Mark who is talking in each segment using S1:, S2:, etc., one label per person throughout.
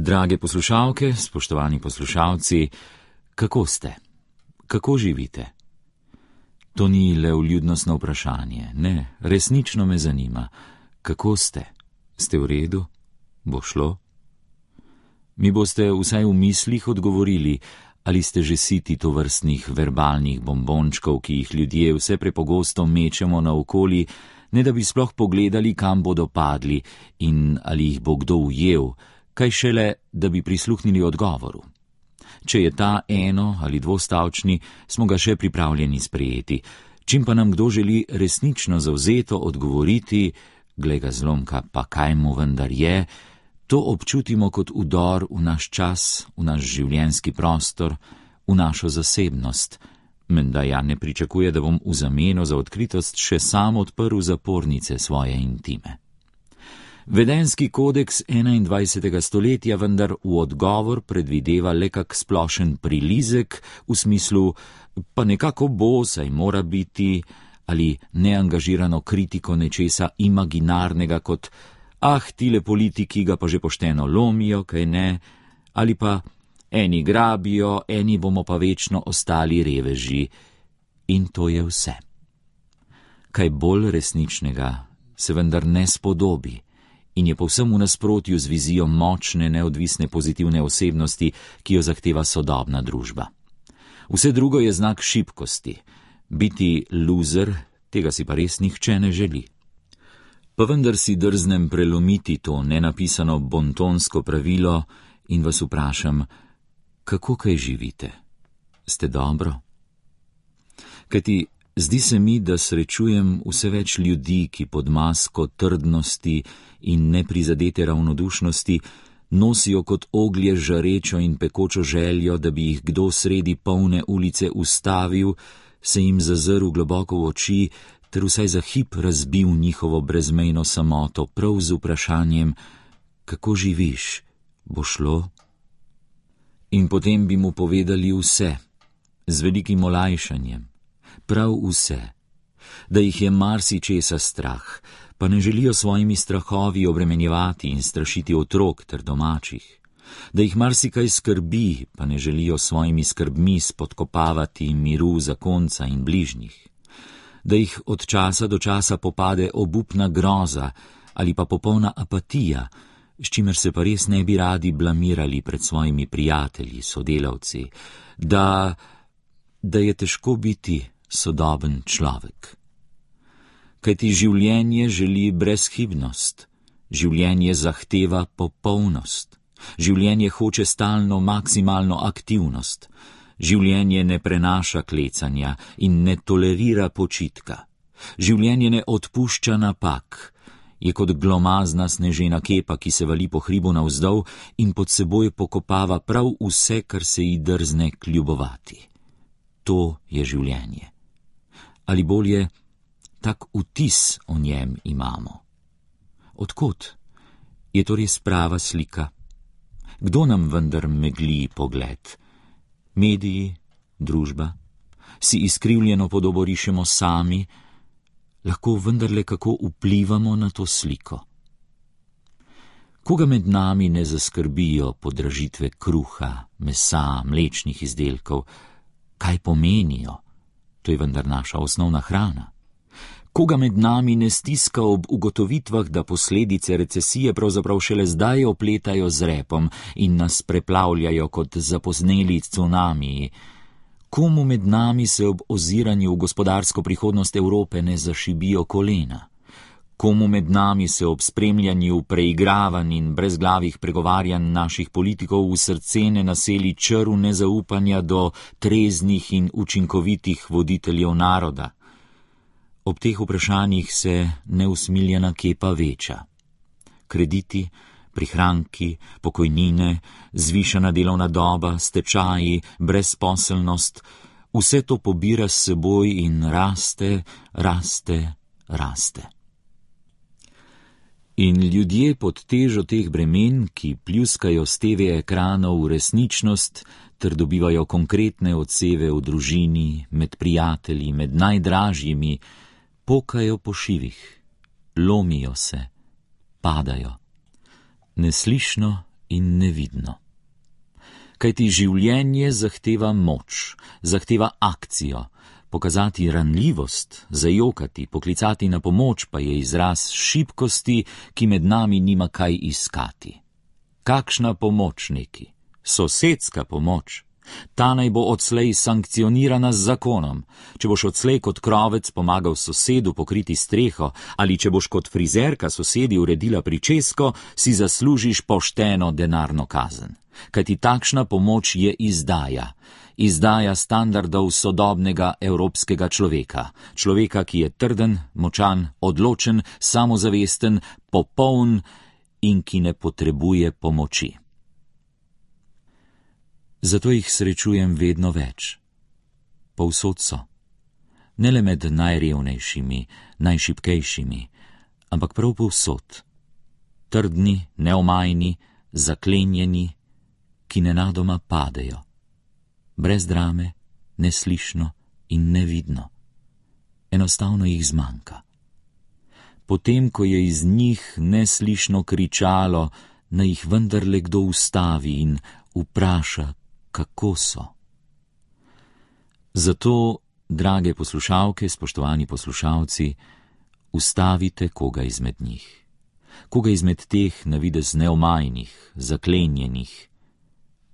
S1: Drage poslušalke, spoštovani poslušalci, kako ste? Kako živite? To ni le vljudnostno vprašanje, ne, resnično me zanima. Kako ste? Ste v redu? Bo šlo? Mi boste vsaj v mislih odgovorili, ali ste že siti tovrstnih verbalnih bombončkov, ki jih ljudje vse prepogosto mečemo naokoli, ne da bi sploh pogledali, kam bodo padli in ali jih bo kdo ujel, kaj šele, da bi prisluhnili odgovoru. Če je ta eno- ali dvostavčni, smo ga še pripravljeni sprejeti. Čim pa nam kdo želi resnično zavzeto odgovoriti, glej ga zlomka, pa kaj mu vendar je, to občutimo kot vdor v naš čas, v naš življenjski prostor, v našo zasebnost. Menda ja ne pričakuje, da bom v zameno za odkritost še sam odprl zapornice svoje intime. Vedenjski kodeks 21. stoletja vendar v odgovor predvideva le kak splošen prilizek v smislu pa nekako bo, saj mora biti, ali neangažirano kritiko nečesa imaginarnega kot tile politiki ga pa že pošteno lomijo, kaj ne, ali pa eni grabijo, eni bomo pa večno ostali reveži. In to je vse. Kaj bolj resničnega se vendar ne spodobi in je povsem v nasprotju z vizijo močne, neodvisne, pozitivne osebnosti, ki jo zahteva sodobna družba. Vse drugo je znak šibkosti. Biti loser, tega si pa res nihče ne želi. Pa vendar si drznem prelomiti to nenapisano bontonsko pravilo in vas vprašam, kako kaj živite? Ste dobro? Kajti zdi se mi, da srečujem vse več ljudi, ki pod masko trdnosti in neprizadete ravnodušnosti nosijo kot oglje žarečo in pekočo željo, da bi jih kdo sredi polne ulice ustavil, se jim zazrl globoko v oči ter vsaj za hip razbil njihovo brezmejno samoto prav z vprašanjem, kako živiš, bo šlo? In potem bi mu povedali vse, z velikim olajšanjem, prav vse, da jih je marsičesa strah, pa ne želijo svojimi strahovi obremenjevati in strašiti otrok ter domačih, da jih marsikaj skrbi, pa ne želijo svojimi skrbmi spodkopavati miru zakonca in bližnjih, da jih od časa do časa popade obupna groza ali pa popolna apatija, s čimer se pa res ne bi radi blamirali pred svojimi prijatelji, sodelavci, da je težko biti sodoben človek. Kajti življenje želi brezhibnost, življenje zahteva popolnost, življenje hoče stalno maksimalno aktivnost, življenje ne prenaša klecanja in ne tolerira počitka, življenje ne odpušča napak, je kot glomazna snežena kepa, ki se vali po hribu navzdol in pod seboj pokopava prav vse, kar se ji drzne kljubovati. To je življenje. Ali bolje, tak vtis o njem imamo. Odkot? Je to res prava slika? Kdo nam vendar megli pogled? Mediji, družba? Si izkrivljeno podobo rišemo sami? Lahko vendarle kako vplivamo na to sliko? Koga med nami ne zaskrbijo podražitve kruha, mesa, mlečnih izdelkov? Kaj pomenijo? To je vendar naša osnovna hrana. Koga med nami ne stiska ob ugotovitvah, da posledice recesije pravzaprav šele zdaj opletajo z repom in nas preplavljajo kot zapozneli cunamiji? Komu med nami se ob oziranju v gospodarsko prihodnost Evrope ne zašibijo kolena? Komu med nami se ob spremljanju preigravanj in brezglavih pregovarjanj naših politikov v srce ne naseli črv nezaupanja do treznih in učinkovitih voditeljev naroda? Ob teh vprašanjih se neusmiljena kepa veča. Krediti, prihranki, pokojnine, zvišana delovna doba, stečaji, brezposelnost, vse to pobira s seboj in raste, raste, raste. In ljudje pod težo teh bremen, ki pljuskajo s TV ekranov v resničnost, ter dobivajo konkretne odseve v družini, med prijatelji, med najdražjimi, pokajo po šivih, lomijo se, padajo. Neslišno in nevidno. Kajti življenje zahteva moč, zahteva akcijo, pokazati ranljivost, zajokati, poklicati na pomoč pa je izraz šibkosti, ki med nami nima kaj iskati. Kakšna pomoč neki? Sosedska pomoč. Ta naj bo odslej sankcionirana z zakonom. Če boš odslej kot krovec pomagal sosedu pokriti streho ali če boš kot frizerka sosedi uredila pričesko, si zaslužiš pošteno denarno kazen. Kajti takšna pomoč je izdaja. Izdaja standardov sodobnega evropskega človeka. Človeka, ki je trden, močan, odločen, samozavesten, popoln in ki ne potrebuje pomoči. Zato jih srečujem vedno več. Povsod so. Ne le med najrevnejšimi, najšibkejšimi, ampak prav povsod. Trdni, neomajni, zaklenjeni, ki nenadoma padejo. Brez drame, neslišno in nevidno. Enostavno jih zmanjka. Potem, ko je iz njih neslišno kričalo, naj jih vendarle kdo ustavi in vpraša, kako so. Zato, drage poslušalke, spoštovani poslušalci, ustavite koga izmed njih. Koga izmed teh na videz neomajnih, zaklenjenih.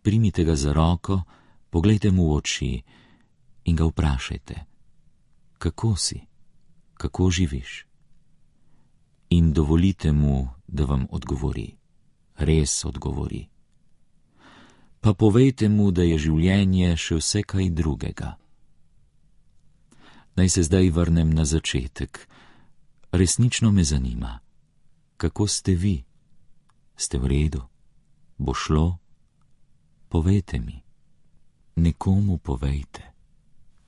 S1: Primite ga za roko, poglejte mu v oči in ga vprašajte, kako si, kako živiš. In dovolite mu, da vam odgovori. Res odgovori. Pa povejte mu, da je življenje še vse kaj drugega. Naj se zdaj vrnem na začetek. Resnično me zanima, kako ste vi? Ste v redu? Bo šlo? Povejte mi. Nekomu povejte.